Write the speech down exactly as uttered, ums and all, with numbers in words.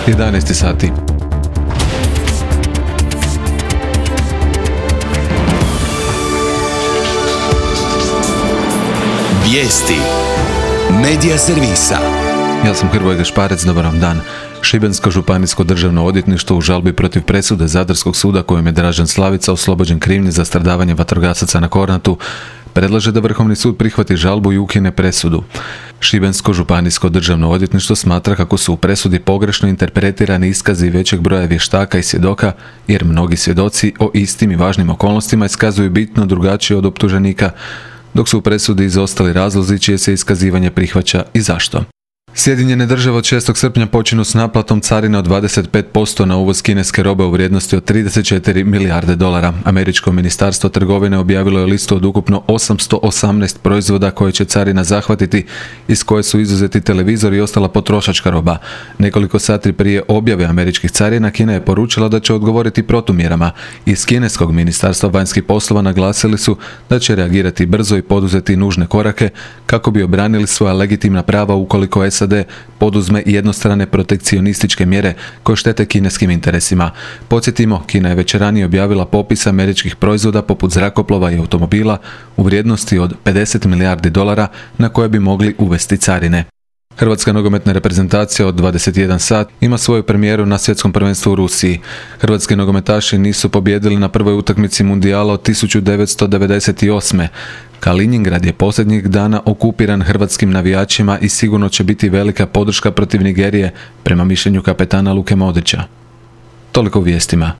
jedanaest sati. Vijesti Medija servisa. Ja sam Hrvoje Gašparec, dobar vam dan. Šibensko županijsko državno odvjetništvo u žalbi protiv presude Zadarskog suda kojom je Dražen Slavica oslobođen krivnje za stradavanje vatrogasaca na Kornatu predlaže da Vrhovni sud prihvati žalbu i ukine presudu. Šibensko županijsko državno odvjetništvo smatra kako su u presudi pogrešno interpretirani iskazi većeg broja vještaka i svjedoka, jer mnogi svjedoci o istim i važnim okolnostima iskazuju bitno drugačije od optuženika, dok su u presudi izostali razlozi čije se iskazivanje prihvaća i zašto. Sjedinjene države od šestog srpnja počinju s naplatom carine od dvadeset pet posto na uvoz kineske robe u vrijednosti od trideset četiri milijarde dolara. Američko ministarstvo trgovine objavilo je listu od ukupno osamsto osamnaest proizvoda koje će carina zahvatiti, iz koje su izuzeti televizori i ostala potrošačka roba. Nekoliko sati prije objave američkih carina Kina je poručila da će odgovoriti protumjerama. Iz kineskog ministarstva vanjskih poslova naglasili su da će reagirati brzo i poduzeti nužne korake kako bi obranili svoja legitimna prava ukoliko SAD poduzme jednostrane protekcionističke mjere koje štete kineskim interesima. Podsjetimo, Kina je već ranije objavila popis američkih proizvoda poput zrakoplova i automobila u vrijednosti od pedeset milijardi dolara na koje bi mogli uvesti carine. Hrvatska nogometna reprezentacija od dvadeset jedan sat ima svoju premijeru na svjetskom prvenstvu u Rusiji. Hrvatski nogometaši nisu pobijedili na prvoj utakmici mundijala od tisuću devetsto devedeset osme. Kaliningrad je posljednjih dana okupiran hrvatskim navijačima i sigurno će biti velika podrška protiv Nigerije, prema mišljenju kapetana Luke Modrića. Toliko u vijestima.